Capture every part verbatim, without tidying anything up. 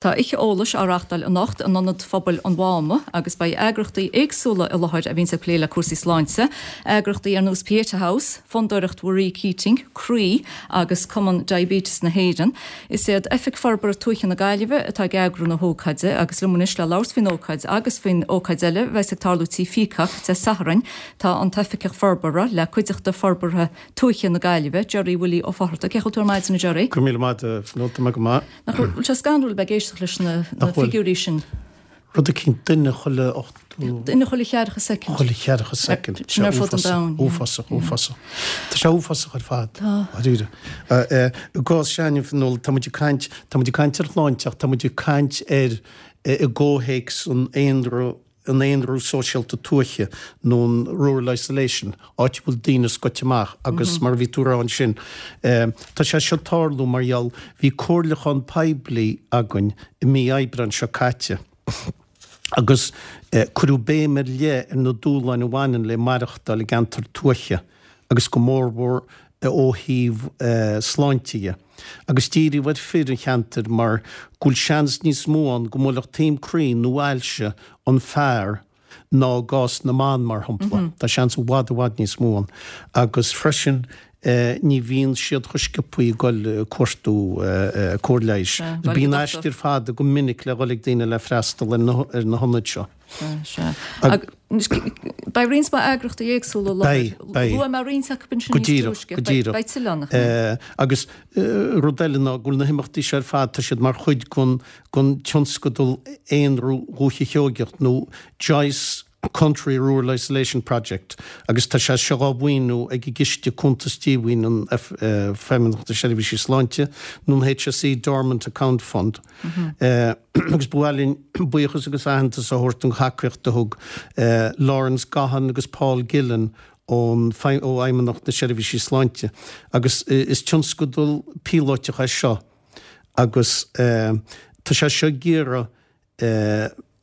Tá oíche eolais á reáchtáil anocht in Ionad Phobail an Mháma agus beidh eagraíochtaí éagsúla i láthair a bhíonn ag plé le cúrsaí sláinte, eagraíochtaí ar nós Pieta House, Fondúireacht Mharie Keating, Croí agus Cumann Diabetes na hÉireann. Is iad Oifig Forbartha Tuaithe na Gaillimhe atá ag eagrú na hócáide agus liom anois le labhairt faoin ócáid agus faoin ócáid eile a bheas ag tarlú Tí Peacock Dé Sathairn tá an tOifigeach Forbartha le Cuideachta Forbartha Tuaithe na Gaillimhe, Gerry Willie Ó Fátharta. Cén chaoi a bhfuil tú ar maidin a Gerry? Go míle maith nó tá go maith. Nach bhfuil sé scanrúil bheith ag éisteacht leis na Nach bhfuil. figiúirí sin. Rud eicínt duine chuile ochtó Duine chuile cheathracha soicind. chuile cheathracha soicind. Sin ar fud an domhain, yeah. Uafásach, uafásach. Tá sé uafásach ar fad. Tá. Dáiríre. I gcás s'againne nó tá muid ag caint tá muid ag caint ar shláinte ach tá muid ag caint ar i gcomhthéacs an aonrú an aonrú sóisialta tuaithe nó an rural isolation, áit a bhfuil daoine scoite amach agus mar a bhí tú ag rá ansin. Tá sé seo ag tarlú mar gheall bhí comhairliúchán poiblí againn i mí Aibreáin seo caite agus cuireadh béim ar leith ar na dúshláin a bhaineann le maireachtáil i gceantar tuaithe agus go mórmhór ó thaobh sláinte dhe. Agus díríodh ar fir an cheantair mar go bhfuil seans níos mó ann go mbuailfeadh taom croí nó ailse an fear ná i gcás na mban mar shampla. Tá seans i bhfad i bhfad níos mó ann. Agus freisin ní bhíonn siad chomh sciobtha ag dul ag cuartú cóir leighis. Bíonn aistir fada go minic le dhul ag daoine le freastal ar na ar na hionaid seo. Beidh roinnt mhaith eagraíochtaí éagsúla i láthair. Beidh, beidh. Luaigh mé roinnt acu ansin Go níos díreach, túisce. go díreach. Beidh tuilleadh ann, nach mbeidh? Agus rud eile ná go bhfuil na himeachtaí seo ar fad, tá siad mar chuid den den tionscadal Aonrú Dhúiche Sheoigeach nó Joyce Country Rural Isolation Project agus tá sé seo á mhaoiniú ag an gCiste Cuntas Díomhaoin an Feidhmeannacht na Seirbhísí Sláinte nó an HSE Dormant Account Fund. Agus ba mhaith linn buíochas agus aitheantas a thabhairt don thacaíocht a thug Lawrence Gahan agus Paul Gillen ón ó Fheidhmeannacht na Seirbhísí Sláinte agus is tionscadal píolótach é seo agus tá sé seo ag iarraidh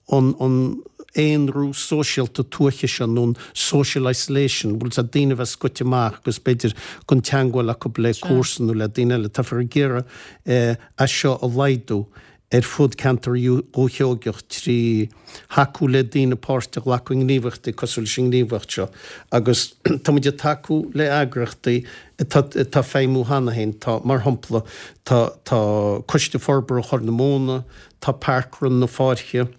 an an aonrú sóisialta tuaithe seo nó an social isolation, bhfuil a fhios agat daoine a bheith scoite amach agus b'fhéidir gan teagmháil acu le comharsan nó le daoine eile. Táthar ag iarraidh é seo a laghdú ar fud ceantar Dhúiche Sheoigeach trí thacú le daoine páirt a ghlacadh i ngníomhaíochtaí cosúil leis an ngníomhaíocht seo agus tá muid ag tacú le eagraíochtaí atá atá ag feidhmiú cheana féin. Tá, mar shampla, tá tá Coiste Forbartha Chorr na Móna, tá Parkrun na Fáirche,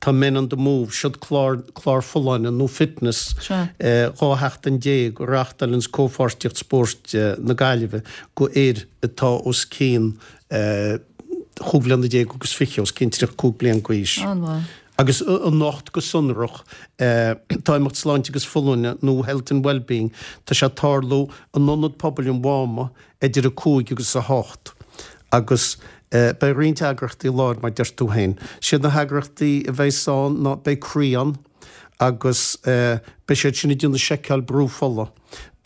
tá Men on the Move, siod clár clár folláine nó fitness dhá sheachtain déag a reáchtálann Comhpháirtíocht Spóirt na Gaillimhe go fhir atá os cionn chúig bhliana déag agus fiche, os cionn tríocha cúig bliain d'aois. An-mhaith. Agus anocht go sonrach, tá imeacht Sláinte agus Folláine nó Health and Wellbeing, tá sé ag tarlú in Ionad Pobail an Mháma idir a cúig agus a hocht agus beidh roinnt eagraíochtaí i láthair mar deir tú féin. Siad na heagraíochtaí a bheas ann ná beidh Croí ann agus beidh siad sin ag déanamh seiceáil brú fola.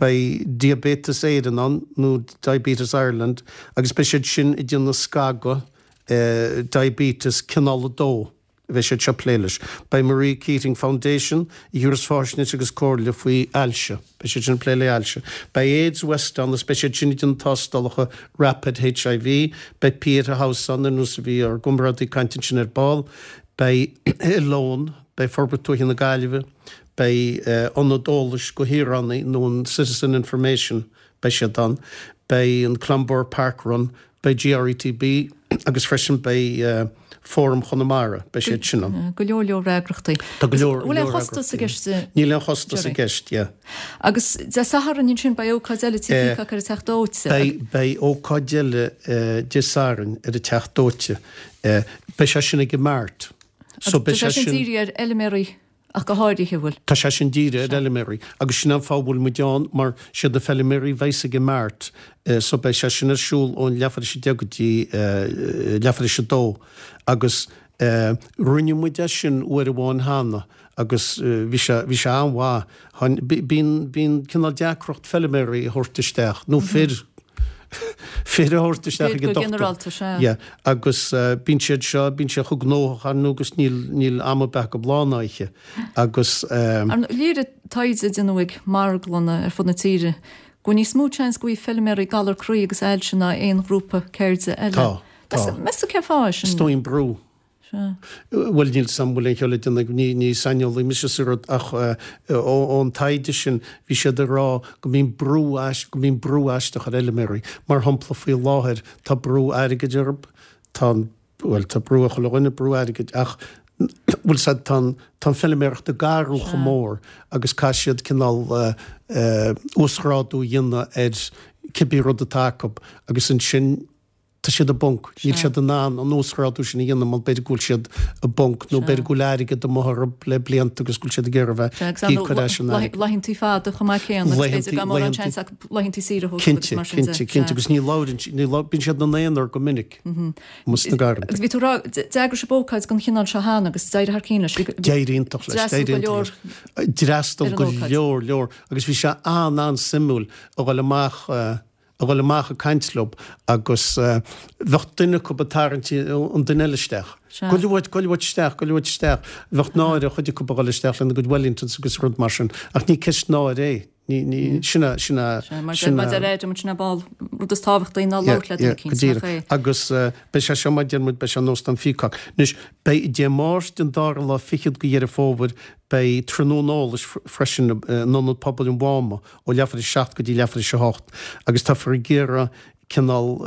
Beidh Diaibéiteas Éireann ann nó Diabetes Ireland agus beidh siad sin ag déanamh scagadh diabetes cineál a dó. a bheidh siad seo ag plé leis. Beidh Marie Keating Foundation a thabharfas faisnéis agus comhairle faoi ailse. Beidh siad sin ag plé le ailse. Beidh AIDS West ann agus beidh siad sin ag déanamh tástálacha Rapid HIV. Beidh Pieta House ann ar nós a bhí ár gcomrádaí ag caint ansin ar ball. Beidh Oileán, beidh Forbairt Tuaithe na Gaillimhe, beidh Ionad Eolais go Shaoránaigh nó an Citizen Information, beidh siad ann. Beidh an Clonbur Park Run, beidh GRETB agus freisin beidh Fóram Chonamara, beidh siad sin ann. Go leor leor eagraíochtaí. Tá go leor Bhfuil aon chostas i gceist? Níl aon chostas i gceist, yeah. Agus Dé Sathairn ansin beidh ócáid eile Tí Peacock ar an Teach Dóite. Beidh, beidh ócáid eile Dé Sathairn ar an Teach Dóite. Beidh sé sin ag an Mart. So beidh sé sin dírithe ar fheilméaraí ach go háirithe, an bhfuil? Tá sé sin dírithe ar fheilméaraí agus sin an fáth a bhfuil muid ann mar siad na feilméaraí a bheas ag an Mart so beidh sé sin ar siúl ón leathuair tar éis a deich go dtí leathuair tar éis a dó agus rinne muid é sin uair amháin cheana agus bhí sé bhí sé an-mhaith. Bíonn bíonn cineál deacracht feilméaraí a thabhairt isteach nó fir fir a thabhairt isteach ag an dochtúir. Go ginearálta, sea. Yeah. Agus bíonn siad seo, bíonn siad chomh gnóthach ar ndóigh agus níl, níl am ar bith acu lá ná oíche. Agus. Ar ndóigh, léirigh taighde a déanadh ag marglanna ar fud na tíre go bhfuil níos mó seans go bhfaighidh feilméaraí galar croí agus ailse ná aon ghrúpa ceirde eile. Tá. Tá. Meas tú cén fáth é sin? Is dóigh an brú. Sea. Bhuel, níl 's a'm bhfuil aon chiall le déanamh, ní, ní saineolaí mise sa rud ach ón taighde sin bhí siad ag rá go mbíonn brú, go mbíonn brú aisteach ar fheilméaraí. Mar shampla faoi láthair tá brú airgid orthu, tá an, bhuel tá brú ar chuile dhuine, brú airgid ach bhfuil 's a'd tá an, tá an feilméaracht ag athrú chomh mór agus caithfidh siad cineál uasghrádú a dhéanamh ar cibé rud atá acu agus ansin tá siad i bponc, níl siad in ann an uasghrádú sin a dhéanamh mar b'fhéidir go bhfuil siad i bponc nó b'fhéidir go bhfuil airgead amuigh orthu le blianta agus go bhfuil siad ag iarraidh a bheith ag íoc ar ais an airgead. Laethantaí fada chomh maith céanna agus b'fhéidir gan mórán seans acu laethantaí saoire a thógáil agus mar sin de. Cinnte, cinnte, cinnte agus ní labhrann, ní labhrann, bíonn siad ina n-aonar go minic amuigh sna garrantaí. Agus bhí tú ag rá, d'eagraigh sibh ócáid den chineál seo cheana agus d'éirigh thar cionn leis. D'éirigh iontach leis, d'éirigh iontach leis. D'fhreastail go leor, leor agus bhí sé an-an-suimiúil a dhul amach, a dhul amach ag caint leo agus bheadh duine acu ag tarraingt an duine eile isteach. Goil uait, goil uait isteach, goil uait isteach. Bheadh náire ar chuid acu a dhul isteach lena gcuid Wellingtons agus rud mar sin. Ach ní ceist náire é. Ní, ní, sin a, sin a, Sea, mar sin mar a. deir Adam, sin é ball, rud is tábhachtaí ná Yeah, labhairt le duine yeah, eicínt, go díreach. nach é? Agus beidh sé seo, mar a deir muid, beidh sé in Óstán Pheacock. Anois, beidh Dé Máirt an dara lá fichead de Dheireadh Fómhair, Beidh tráthnóna eolais freisin in Ionad Pobail an Mháma ó leathuair théis a seacht go dtí leathuair théis a hocht agus táfar ag iarraidh cineál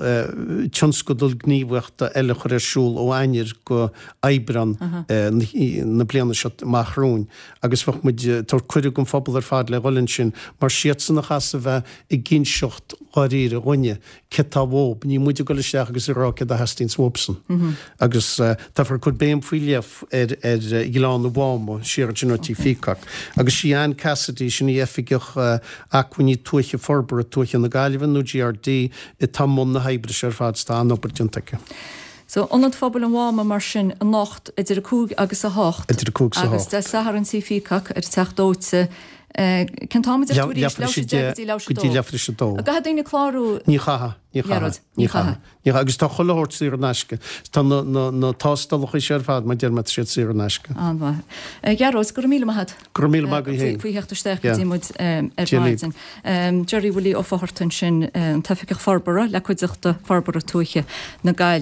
tionscadal gníomhaíochta eile a chur ar siúl ó Eanáir go Aibreán na bliana seo amach romhainn agus bheadh muid ag tabhairt cuireadh don phobal ar fad le dhul ansin mar siadsan a chaithfeas a bheith ag inseacht dháiríre dhúinne céard tá uathu, ní muid ag dul isteach agus ag rá céard a theastaíonns uathubsan. Agus táfar ag cur béim faoi leith ar ar Ghleann an Mháma, siar ansin ó Tigh Pheacock. Agus sí Anne Cassidy, sin í Oifigeach Acmhainní Tuaithe Forbartha Tuaithe na Gaillimhe, nó GRD, atá i mbun na hoibre seo ar fad, 's tá an-obair déanta aici. So, Ionad Phobail an Mháma mar sin anocht idir a cúig agus a hocht. Idir a cúig 's a Agus hocht. Dé Sathairn Tigh Pheacock ar an Teach Dóite. Cén t-am a deir tú arís? Leathuair théis a deich go dtí leathuair go dtí leathuair théis a dó. An gcaithfidh daoine clárú? Ní chaithfidh, ní chaithfidh, ní chaithfidh. Ní chaithfidh. Agus tá chuile shórt saor in aisce. Tá na, na, na tástálacha seo ar fad, mar deir mé, tá siad saor in aisce. An-mhaith. A Ghearóid, go raibh míle maith agat. Go raibh míle maith agat féin. Faoi theacht isteach go dtí muid ar maidin. Gerry Willie Ó Fátharta ansin, an tOifigeach Forbartha le Cuideachta Forbartha Tuaithe na Gaillimhe.